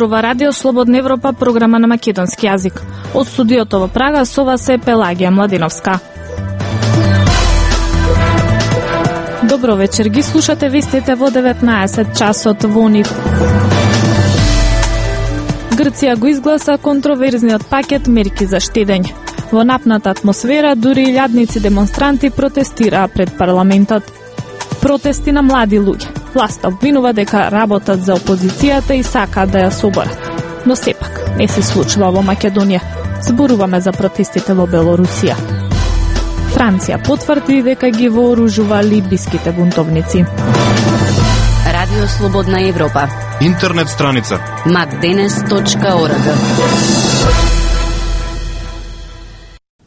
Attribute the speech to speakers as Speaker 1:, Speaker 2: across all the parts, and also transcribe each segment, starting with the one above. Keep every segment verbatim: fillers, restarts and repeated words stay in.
Speaker 1: зборува Радио Слободна Европа, програма на македонски јазик. Од студиото во Прага со вас е Пелагија Младиновска. Добро вечер, ги слушате вестите во деветнаесет часот во НИВ. Грција го изгласа контроверзниот пакет мерки за штедење. Во напната атмосфера, дури илјадници демонстранти протестираа пред парламентот. Протести на млади луѓе. Власта обвинува дека работат за опозицијата и сакаат да ја соборат. Но сепак, не се случува во Македонија. Зборуваме за протестите во Белорусија. Франција потврди дека ги вооружува либиските бунтовници.
Speaker 2: Радио Слободна Европа.
Speaker 3: Интернет страница
Speaker 2: макденес точка орг.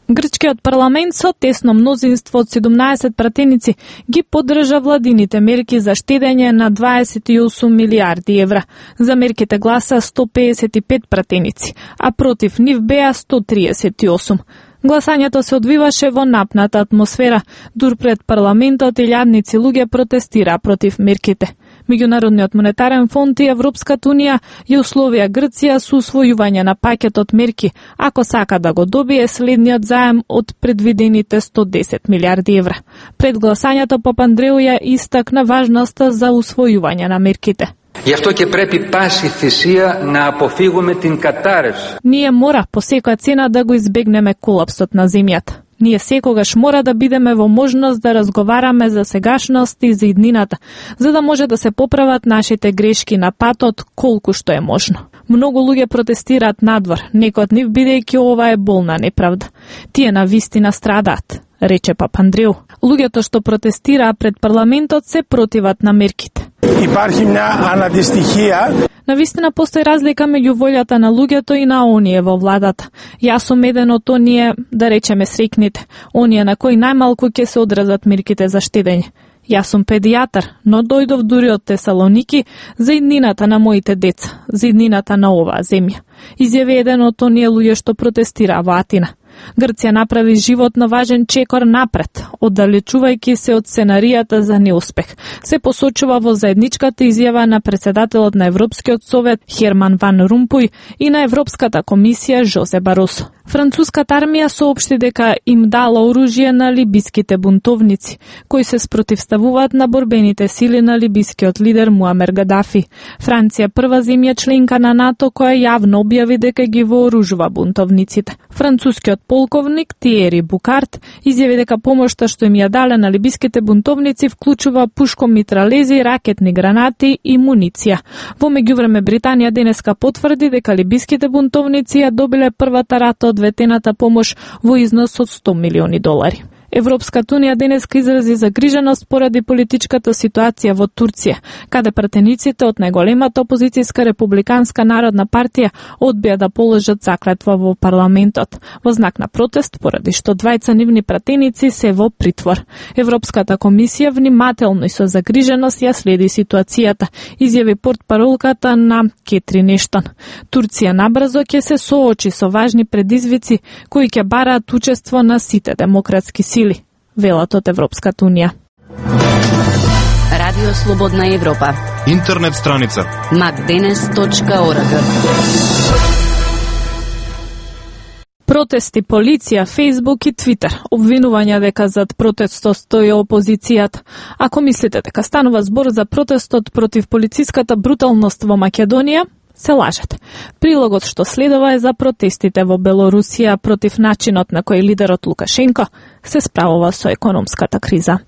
Speaker 1: Грчкиот парламент со тесно мнозинство од седумнаесет пратеници ги поддржа владините мерки за штедење на дваесет и осум милијарди евра. За мерките гласа сто педесет и пет пратеници, а против нив беа сто триесет и осум. Гласањето се одвиваше во напната атмосфера. Дур пред парламентот илјадници луѓе протестираа против мерките. Меѓународниот монетарен фонд и Европската унија ја условија Грција со усвојување на пакетот мерки, ако сака да го добие следниот заем од предвидените сто десет милијарди евра. Пред гласањето Папандреу ја истакна важноста за усвојување на мерките.
Speaker 4: Γι' αυτό και πρέπει πάση θυσία να αποφύγουμε την κατάρρευση.
Speaker 1: Ние мора по секоја цена да го избегнеме колапсот на земјата. Ние секогаш мора да бидеме во можност да разговараме за сегашност и за иднината, за да може да се поправат нашите грешки на патот колку што е можно. Многу луѓе протестираат надвор, некои од нив бидејќи ова е болна неправда. Тие на вистина страдаат, рече Папандреу. Луѓето што протестираа пред парламентот се противат на мерките.
Speaker 5: Υπάρχει μια αναντιστοιχία.
Speaker 1: Навистина постои разлика меѓу волјата на луѓето и на оние во владата. Јас сум еден од оние, да речеме срекните, оние на кои најмалку ќе се одразат мерките за штедење. Јас сум педијатар, но дојдов дури од Тесалоники за иднината на моите деца, за иднината на оваа земја. Изјави еден од оние луѓе што протестираа во Атина. Грција направи животно важен чекор напред, оддалечувајќи се од сценаријата за неуспех. Се посочува во заедничката изјава на председателот на Европскиот совет Херман Ван Румпуј и на Европската комисија Жозе Баросо. Француската армија соопшти дека им дала оружје на либиските бунтовници, кои се спротивставуваат на борбените сили на либискиот лидер Муамер Гадафи. Франција прва земја членка на НАТО која јавно објави дека ги вооружува бунтовниците. Францускиот полковник Тиери Букарт изјави дека помошта што им ја дале на либиските бунтовници вклучува пушкомитралези, ракетни гранати и муниција. Во меѓувреме Британија денеска потврди дека либиските бунтовници ја добиле првата рата од ветената помош во износ од сто милиони долари. Европската унија денеска изрази загриженост поради политичката ситуација во Турција, каде пратениците од најголемата опозицијска републиканска народна партија одбија да положат заклетва во парламентот, во знак на протест поради што двајца нивни пратеници се во притвор. Европската комисија внимателно и со загриженост ја следи ситуацијата, изјави портпаролката на Кетрин Ештон. Турција набрзо ќе се соочи со важни предизвици кои ќе бараат учество на сите демократски сили, велат од Европската унија.
Speaker 2: Радио Слободна Европа.
Speaker 3: Интернет страница
Speaker 2: макденес точка орг.
Speaker 1: Протести, полиција, Фејсбук и Твитер. Обвинувања дека зад протестот стои опозицијата. Ако мислите дека станува збор за протестот против полициската бруталност во Македонија, се лажете. Прилогот што следува е за протестите во Белорусија против начинот на кој лидерот Лукашенко се справува со економската криза.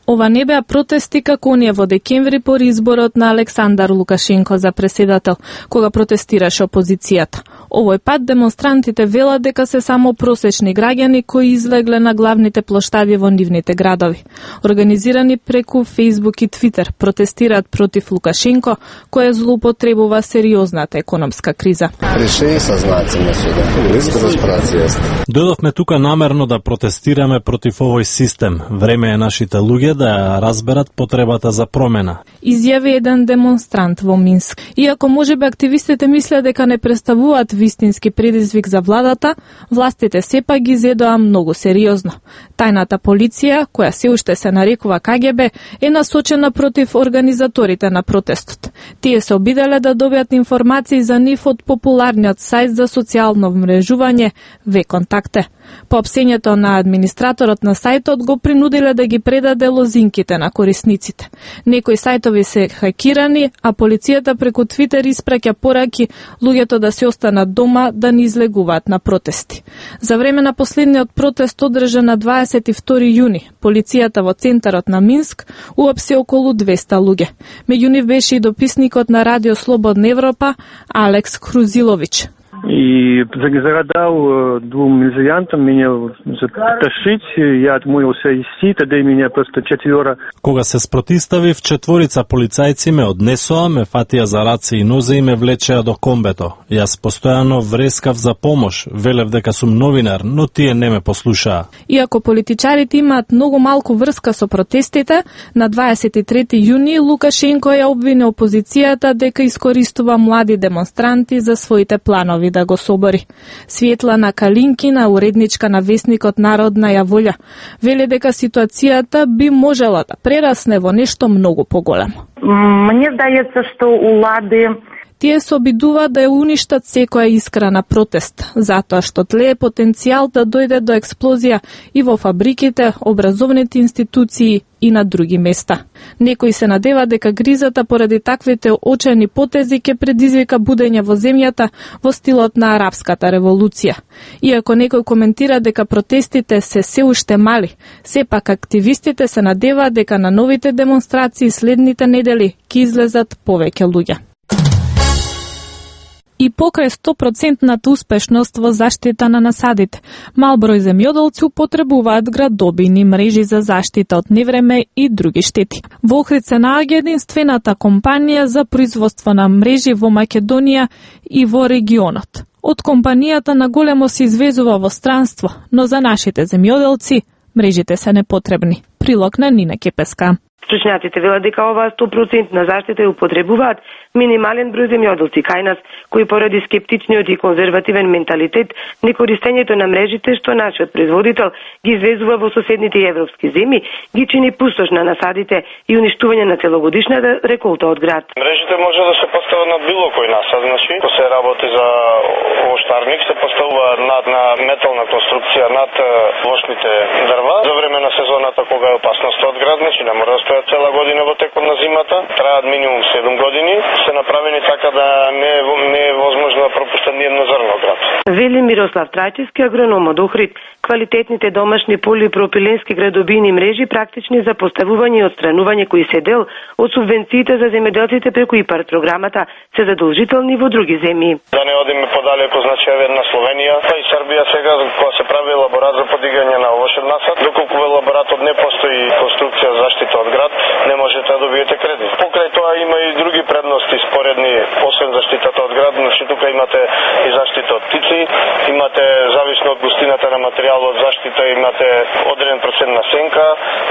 Speaker 1: Ова не беа протести како оние во декември по изборот на Александар Лукашенко за преседател, кога протестираше опозицијата. Овој пат демонстрантите велат дека се само просечни граѓани кои излегле на главните плоштади во нивните градови. Организирани преку Фејсбук и Твитер, протестираат против Лукашенко, која злоупотребува сериозната економска криза.
Speaker 6: Решени сознателно суда. Близко за спрација.
Speaker 7: Дојдовме тука намерно да протестираме против овој систем. Време е нашите луѓе да ја разберат потребата за промена.
Speaker 1: Изјави еден демонстрант во Минск. Иако можеби активистите мислеа дека не представуваат вистински предизвик за владата, властите сепак ги зедоа многу сериозно. Тајната полиција, која се уште се нарекува К Г Б, е насочена против организаторите на протестот. Тие се обиделе да добијат информации за нив од популарниот сајт за социјално вмрежување Вконтакте. По опсењето на администраторот на сајтот го принудиле да ги предаде лозинките на корисниците. Некои сајтови се хакирани, а полицијата преку Твитер испраќа пораки луѓето да се останат дома да не излегуваат на протести. За време на последниот протест одржан на дваесет и втори јуни, полицијата во центарот на Минск уапси околу двеста луѓе. Меѓу нив беше и дописникот на Радио Слободна Европа Алекс Крузилович.
Speaker 8: И загадал двум милицијантам мене заташить, ја отмоил се иси, таде мене просто четвора.
Speaker 7: Кога се спротиставив, четворица полицајци ме однесоа, ме фатија за раце и нозе и ме влечеа до комбето. Јас постојано врескав за помош, велев дека сум новинар, но тие не ме послушаа.
Speaker 1: Иако политичарите имаат многу малку врска со протестите, на дваесет и трети јуни Лукашенко ја обвини опозицијата дека искористува млади демонстранти за своите планови да го собори. Светлана Калинкина, уредничка на весникот Народна ја волја, вели дека ситуацијата би можела да прерасне во нешто многу поголемо.
Speaker 9: Мне здаецца што улади
Speaker 1: Тие се обидуваат да ја уништат секоја искра на протест, затоа што тлее потенцијал да дојде до експлозија и во фабриките, образовните институции и на други места. Некои се надева дека гризата поради таквите очени потези ќе предизвика будење во земјата во стилот на арапската револуција. Иако некој коментира дека протестите се се уште мали, сепак активистите се надеваат дека на новите демонстрации следните недели ќе излезат повеќе луѓе. И покрај сто проценти успешност во заштита на насадите, мал број земјоделци употребуваат градобини мрежи за заштита од невреме и други штети. Во Охрид се наоѓа единствената компанија за производство на мрежи во Македонија и во регионот. Од компанијата на големо се извезува во странство, но за нашите земјоделци мрежите се непотребни. Прилог на Нина Кепеска.
Speaker 9: Стручњаците велат дека оваа сто проценти заштита ја употребуваат минимален број земјоделци кај нас, кои поради скептичниот и конзервативен менталитет, некористењето на мрежите што нашиот производител ги извезува во соседните европски земји, ги чини пустош на насадите и уништување на целогодишната реколта од град.
Speaker 10: Мрежите може да се постават на било кој насад, значи, ако се работи за овоштарник, се поставува над на метална конструкција над вошните дрва. За време на сезоната кога е опасност од град, значи не може да стојат цела година во текот на зимата, траат минимум седум години, се направени така да не е, не е возможно да пропуштат ни едно зрно град.
Speaker 9: Вели Мирослав Трајчевски, агроном од Охрид, квалитетните домашни полипропиленски градобини мрежи практични за поставување и отстранување кои се дел од субвенциите за земјоделците преку ИПАРД програмата се задолжителни во други земји.
Speaker 10: Да не одиме подалеку, значи еве на Словенија, па и Србија сега кога се прави елаборат за подигање на овошен насад, доколку во елаборатот не постои конструкција за заштита од град, не можете да добиете кредит. Покрај тоа има и други предности споредни, освен заштитата од град, значи тука имате и заштита од птици, имате зависно од густината на материјалот од заштита, имате одреден процент на сенка,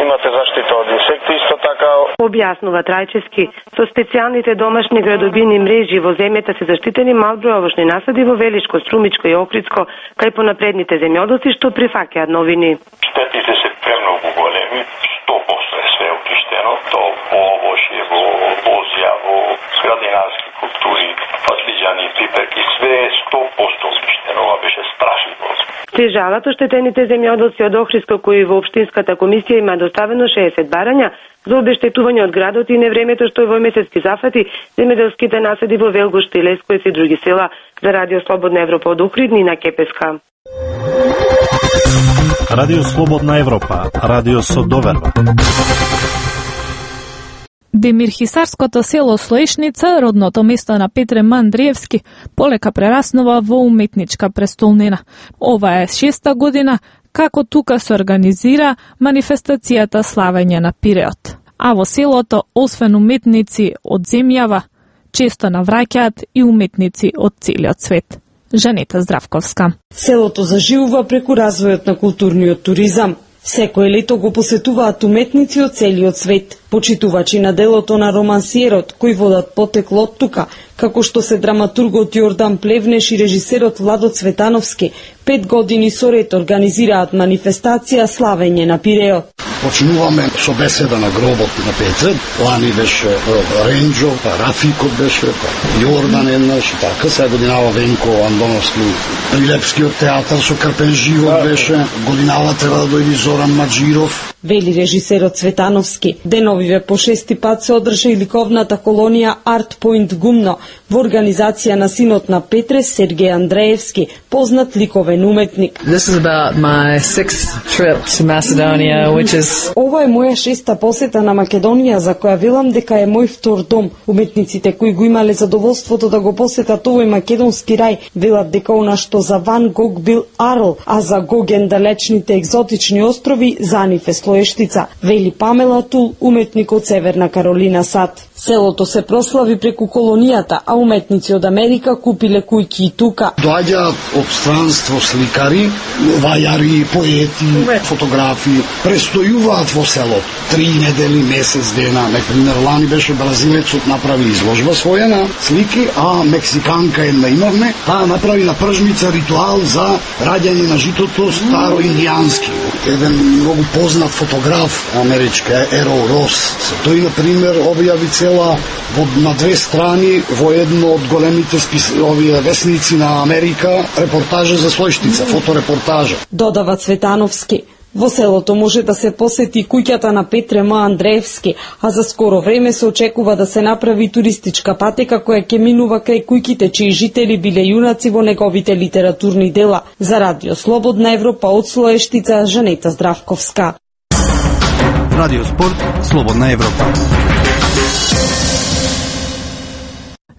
Speaker 10: имате заштита од инсекти исто така.
Speaker 9: Објаснува Трајчевски, со специјалните домашни градобини мрежи во земјата се заштитени мал број овошни насади во Велишко, Струмичко и Охридско, кај понапредните земјоделци што прифаќаат новини.
Speaker 10: Штетите се премногу големи, сто проценти е све окиштено, то во овошје, во бозја, во градинарски култури, патлиџани, пиперки, све е сто проценти окиштено, ова беше страшливо.
Speaker 9: Се жалат оштетените земјоделци од Охридско кои во Општинската комисија има доставено шеесет барања за обештетување од градот и невремето што е во месецки зафати земјоделските насади во Велгуш, Лесковец и други села. За Радио Слободна Европа од Охрид, Нина Кепеска.
Speaker 7: Радио Слободна Европа, радио со доверба.
Speaker 1: Демирхисарското село Слоешница, родното место на Петре М. Андриевски, полека прераснува во уметничка престолнина. Ова е шеста година како тука се организира манифестацијата Славење на Пиреот. А во селото, освен уметници од земјава, често навраќаат и уметници од целиот свет. Жанета Здравковска.
Speaker 11: Селото заживува преку развојот на културниот туризам. Секој лето го посетуваат уметници од целиот свет. Почитувачи на делото на романсиерот, кои водат потекло од тука, како што се драматургот Јордан Плевнеш и режисерот Владо Цветановски, пет години со ред организираат манифестација славење на Пиреот.
Speaker 12: Почнуваме со беседа на гробот на Петре. Лани беше Ренџо, па Рафикот беше, па Јордан еднаш, така. Сега годинава Венко Андоновски, Прилепскиот театар со Крпен живот беше. Годинава треба да дојде Зоран Маджиров.
Speaker 11: Вели режисерот Цветановски, деновиве по шести пат се одржа и ликовната колонија Арт Поинт Гумно во организација на синот на Петре, Сергеј Андреевски, познат ликовен уметник.
Speaker 13: This is about my sixth trip to Macedonia, which is...
Speaker 11: Ова е моја шеста посета на Македонија, за која велам дека е мој втор дом. Уметниците кои го имале задоволството да го посетат овој македонски рај, велат дека она што за Ван Гог бил Арл, а за Гоген далечните екзотични острови, за нив е Слоештица, вели Памела Тул, уметник од Северна Каролина САД. Селото се прослави преку колонијата, а уметници од Америка купиле кујки и тука.
Speaker 12: Доаѓаат од странство сликари, вајари, поети, фотографи, престојуваат во селото. Три недели, месец дена. Например, лани беше бразилецот направи изложба своја на слики, а мексиканка една имавме, таа направи на пржница ритуал за раѓање на житото старо индијански. Еден многу познат фотограф америчка Еро Рос. Тој, например, објави цела во, на две страни во едно од големите спис, овие весници на Америка репортажа за Слоештица, фоторепортажа.
Speaker 11: Додава Цветановски. Во селото може да се посети куќата на Петре М. Андреевски, а за скоро време се очекува да се направи туристичка патека која ќе минува кај куќите чии жители биле јунаци во неговите литературни дела. За Радио Слободна Европа од Слоештица, Жанета Здравковска.
Speaker 14: Радио Спорт, Слободна Европа.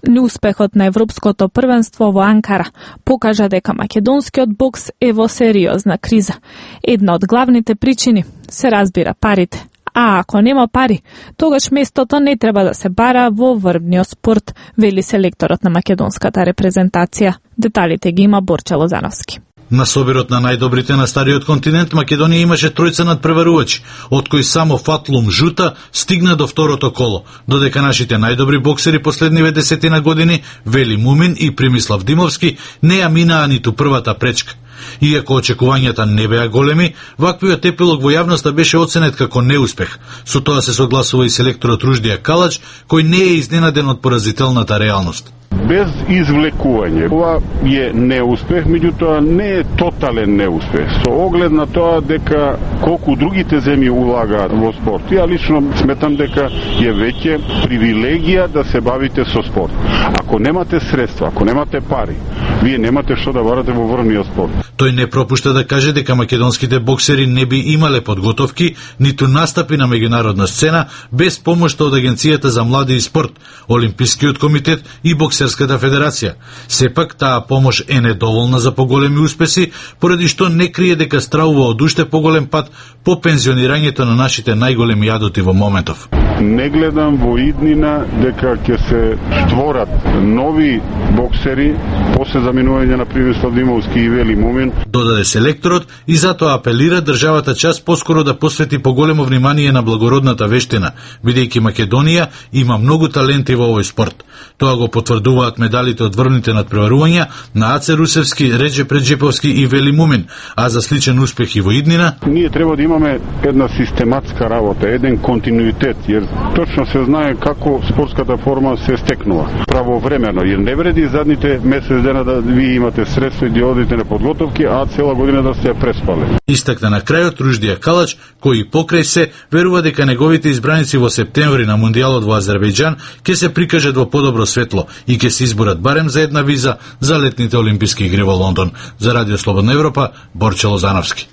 Speaker 1: Неуспехот на Европското првенство во Анкара покажа дека македонскиот бокс е во сериозна криза. Една од главните причини се разбира парите. А ако нема пари, тогаш местото не треба да се бара во врвниот спорт, вели селекторот на македонската репрезентација. Деталите ги има Борче Лозановски.
Speaker 15: На собирот на најдобрите на стариот континент, Македонија имаше тројца надпреварувачи, од кои само Фатлум Жута стигна до второто коло, додека нашите најдобри боксери последниве десетина години, Вели Мумин и Примислав Димовски, не ја минаа ниту првата пречка. Иако очекувањата не беа големи, ваквиот епилог во јавноста беше оценет како неуспех. Со тоа се согласува и селекторот Руждија Калач, кој не е изненаден од поразителната реалност.
Speaker 16: Без извлекување. Ова е неуспех, меѓутоа не е тотален неуспех. Со оглед на тоа дека колку другите земји улагаат во спорт. Ја лично сметам дека е веќе привилегија да се бавите со спорт. Ако немате средства, ако немате пари, вие немате што да барате во врвниот спорт.
Speaker 15: Тој не пропушта да каже дека македонските боксери не би имале подготовки, ниту настапи на меѓународна сцена без помошта од Агенцијата за млади и спорт, Олимпискиот комитет и Боксерската федерација. Сепак таа помош е недоволна за поголеми успеси, поради што не крие дека стравува од уште поголем пат по пензионирањето на нашите најголеми јадоти во моментов.
Speaker 16: Не гледам во иднина дека ќе се створат нови боксери после заминување на Примислав Димовски и Вели Мумин,
Speaker 15: додаде селекторот, и затоа апелира државата час поскоро да посвети поголемо внимание на благородната вештина, бидејќи Македонија има многу таленти во овој спорт. Тоа го потврдуваат медалите од врвните надпреварувања на Аце Русевски, Реđe Преđеповски и Вели Мумин, а за сличен успех и во иднина,
Speaker 16: ние треба да имаме една систематска работа, еден континуитет, jer точно се знае како спортската форма се стекнува правовремено, jer не вреди задните месец дена да ви имате средства и да одите на подготовки, а цела година да се преспале.
Speaker 15: Истакна на крајот Руждија Калач, кој покрај се верува дека неговите избраници во септември на Мундијалот во Азербејџан ќе се прикажат во подобро светло и ќе се изборат барем за една виза за летните олимписки игри во Лондон. За Радио Слободна Европа, Борче Лозановски.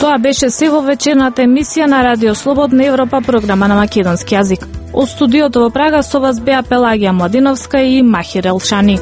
Speaker 1: Тоа беше сего вечерната емисија на Радио Слободна Европа, програма на македонски јазик. Од студиото во Прага со вас беа Пелагија Младиновска и Махир Елшани.